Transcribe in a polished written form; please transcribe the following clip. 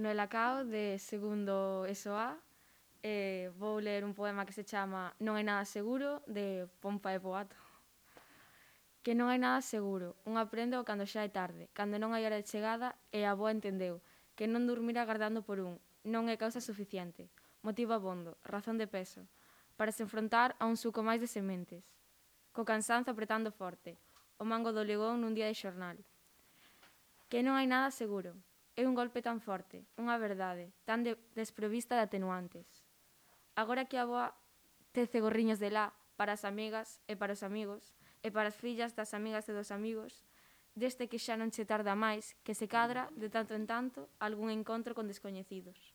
Noela Cao, de segundo ESO A. Vou ler un poema que se chama Non hai nada seguro, de Pompa e Poato. Que non hai nada seguro, un aprende cando xa é tarde, cando non hai hora de chegada e a boa entendeu, que non dormir agardando por un, non é causa suficiente, motivo abondo, razón de peso, para se enfrontar a un suco máis de sementes. Co cansanzo apretando forte, o mango do legón nun día de xornal. Que non hai nada seguro, é un golpe tan forte, unha verdade, tan desprovista de atenuantes. Agora que a boa tece gorriños de lá para as amigas e para os amigos, e para as fillas das amigas e dos amigos, deste que xa non che tarda máis, que se cadra, de tanto en tanto, algún encontro con descoñecidos.